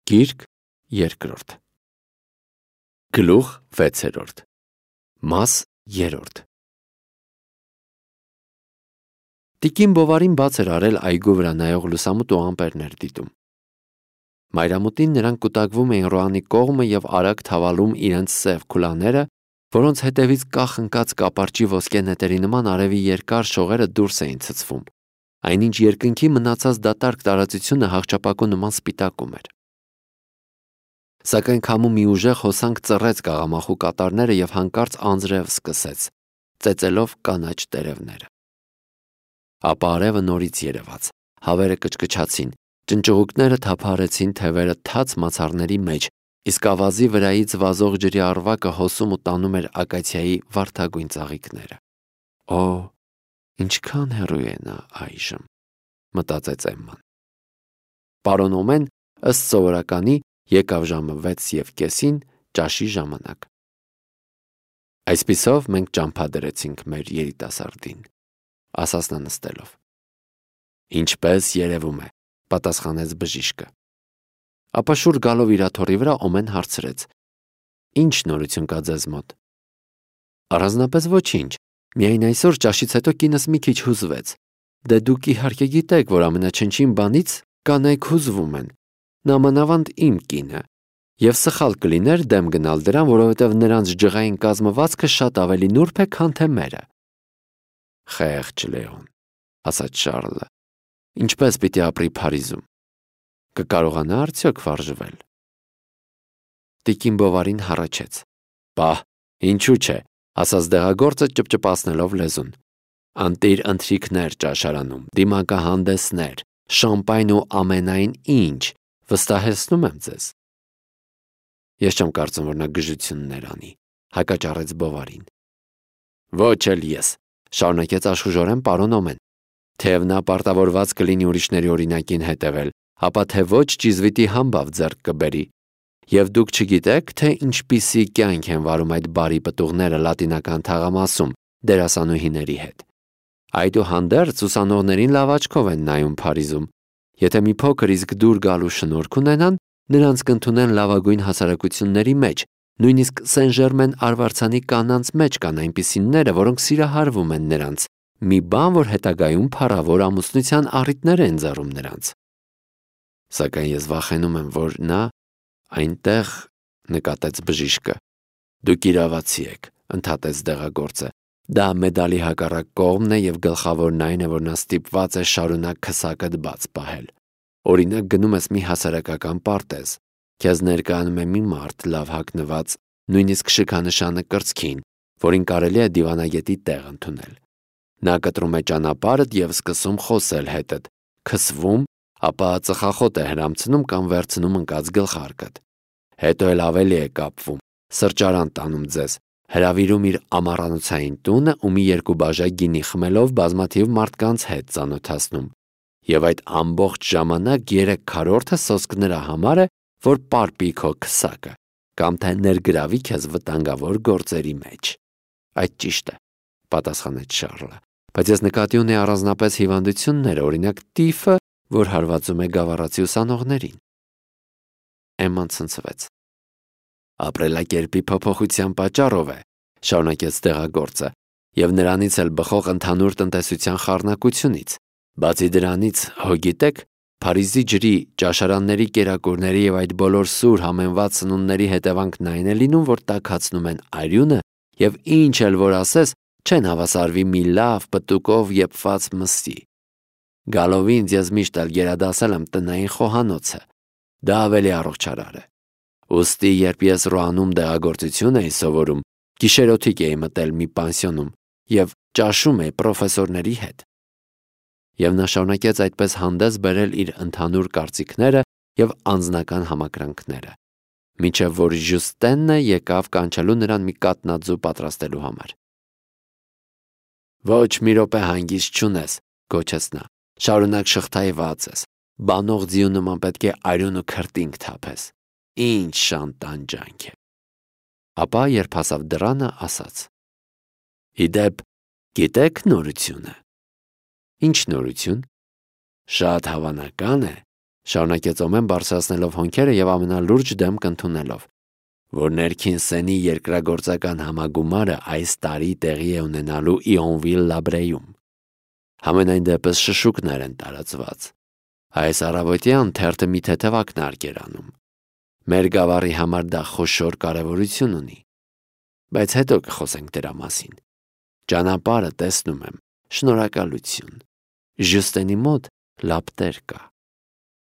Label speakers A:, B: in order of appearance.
A: Գիրք երկրորդ Գլուխ 6 Մաս 3 Տիկին Բովարին բաց էր արել այգու վրա նայող լուսամուտ ու ամպերներ դիտում։ Մայրամուտին նրանք կուտակվում էին Ռոանի կողմը և արագ թավալում իրենց սև քուլաները, որոնց հետևից կախ ընկած կապարճի ոսկե նետերի նման արևի երկար շողերը դուրս էին ցցվում, այնինչ երկնքի մնացած դատարկ տարածությունը հաղճապակու նման սպիտակում էր։ Սակայն քամու մի ուժեղ հոսանք ծռեց կաղամախու կատարները և հանկարծ անձրև սկսեց, ծեծելով կանաչ տերևները։ Ապա արևը նորից երևաց, հավերը կչկչացին, ճնճղուկները թափահարեցին թևերը թաց մացառների մեջ, իսկ ավազի վրայից վազող ջրի առվակը հոսում ու տանում էր ակացիայի վարդագույն ծաղիկները։ Օ, ինչքան հեռու է նա այժմ, մտածեց Էմման։ Պարոն Օմեն ըստ սովորականի եկավ ժամը 6:30 ճաշի ժամանակ։ Այսպիսով մենք ճամփա դրեցինք մեր երիտասարդին, ասաց նա նստելով։ Ինչպես երևում է, պատասխանեց բժիշկը։ Ապա շուռ գալով իր աթոռի վրա Օմեն հարցրեց. Ինչ նորություն կա ձեզ մոտ։ Առանձնապես ոչինչ, միայն այսօր ճաշից հետո կինս մի քիչ հուզվեց։ Դե դուք իհարկե գիտեք, որ ամենաչնչին բանից կանայք հուզվում են, նամանավանդ իմ կինը, և սխալ կլիներ դեմ գնալ դրան, որովհետև նրանց ջղային կազմվածքը շատ ավելի նուրբ է, քան թե մերը։ Խեղճ Լեոն, ասաց Շառլը, ինչպես պիտի ապրի Փարիզում։ Կկարողանա արդյոք վարժվել։ Տիկին Բովարին հառաչեց. Պահ, ինչու՞ չէ, ասաց դեղագործը ճպճպացնելով լեզուն։ Անտիր ընթրիքներ ճաշարանում, դիմակահանդեսներ, շամպայն ու ամենայն ինչ, վստահեցնում եմ ձեզ։ Ես չեմ կարծում, որ նա գժություններ անի, հակաճառեց Բովարին։ Ոչ էլ ես, շարունակեց աշխուժորեն պարոն Օմեն, թեև նա պարտավորված կլինի ուրիշների օրինակին հետևել, ապա թե ոչ ճիզվիտի համբավ ձեռք կբերի։ Եվ դուք չգիտեք, թե ինչպիսի կյանք են վարում այդ բարի պտուղները լատինական թաղամասում դերասանուհիների հետ։ Այդուհանդերձ ուսանողներին լավ աչքով են նայում Փարիզում։ Եթե մի փոքր իսկ դուր գալու շնորհք ունենան, նրանց կընդունեն լավագույն հասարակությունների մեջ, նույնիսկ Սեն-Ժերմեն արվարձանի կանանց մեջ կան այնպիսիները, որոնք սիրահարվում են նրանց, մի բան, որ հետագայում փառավոր ամուսնության առիթներ է ընձեռում նրանց։ Սակայն ես վախենում եմ, որ նա այնտեղ, նկատեց բժիշկը։ Դուք իրավացի եք, ընդհատեց դեղագործը։ Դա մեդալի հակառակ կողմն է և գլխավորն այն է, որ նա ստիպված է շարունակ քսակդ բաց պահել։ Օրինակ գնում ես մի հասարակական պարտեզ, քեզ ներկայանում է մի մարդ լավ հագնված, նույնիսկ շքանշանը կրծքին, որին կարելի է դիվանագետի տեղ ընդունել։ Նա կտրում է ճանապարհդ և սկսում խոսել հետդ, քսվում, ապա ծխախոտ է հրամցնում կամ վերցնում ընկած գլխարկդ։ Հետո էլ ավելի է կապվում, սրճարան տանում ձեզ, հրավիրում իր ամառանոցային տունը ու մի երկու բաժակ գինի խմելով բազմաթիվ մարդկանց հետ ծանոթացնում։ Եվ այդ ամբողջ ժամանակ 3/4 սոսկ նրա համար է, որ պարպի քո քսակը, կամ թե ներգրավի քեզ վտանգավոր գործերի մեջ։ Այդ ճիշտ է, պատասխանեց Շառլը, բայց ես նկատի ունեի առանձնապես հիվանդությունները, օրինակ տիֆը, որ հարվածում է գավառացի ուսանողներին։ Էմման ցնցվեց։ Ապրելակերպի փոփոխության պատճառով է, շարունակեց դեղագործը, և նրանից էլ բխող ընդհանուր տնտեսության խառնակությունից։ Բացի դրանից, հո գիտեք, Փարիզի ջրի, ճաշարանների կերակուրների և այդ բոլոր սուր համեմված սնունդների հետևանքն այն է լինում, որ տաքացնում են արյունը և ինչ էլ որ ասես, չեն հավասարվի մի լավ պտուկով եփված մսի։ Գալով ինձ ես միշտ էլ գերադասել եմ տնային խոհանոցը։ Դա ավելի առողջարար է։ Ուստի, երբ ես Ռոանում դեղագործություն էի սովորում, գիշերօթիկ էի մտել մի պանսիոնում և ճաշում էի պրոֆեսորների հետ։ Եվ նա շարունակեց այդպես հանդես բերել իր ընդհանուր կարծիքները և անձնական համակրանքները, մինչև որ Ժյուստենը եկավ կանչելու նրան մի կատնաձու պատրաստելու համար։ Ոչ մի րոպե հանգիստ չունես, գոչեց նա, շարունակ շղթայված ես, բանող ձիու նման պետք է արյուն ու քրտինք թափես։ Ինչ շան տանջանք է։ Ապա, երբ հասավ դռանը, ասաց. Իդեպ, գիտեք նորությունը։ Ինչ նորություն։ Շատ հավանական է, Շարունակեց Օմեն բարձրացնելով հոնքերը եւ ամենալուրջ դեմք ընդունելով, որ ներքին սենի երկրագործական համագումարը այս տարի տեղի է ունենալու Իոնվիլ-Լաբրեյում։ Համենայն դեպս շշուկներ են տարածված։ Այս առավոտյան թերթը մի թեթև ակնարկ էր անում։ Մեր գավառի համար դա խոշոր կարևորություն ունի։ Բայց հետո կխոսենք դրա մասին։ Ճանապարհը տեսնում եմ։ Շնորհակալություն։ Ժյուստենի մոտ լապտեր կա։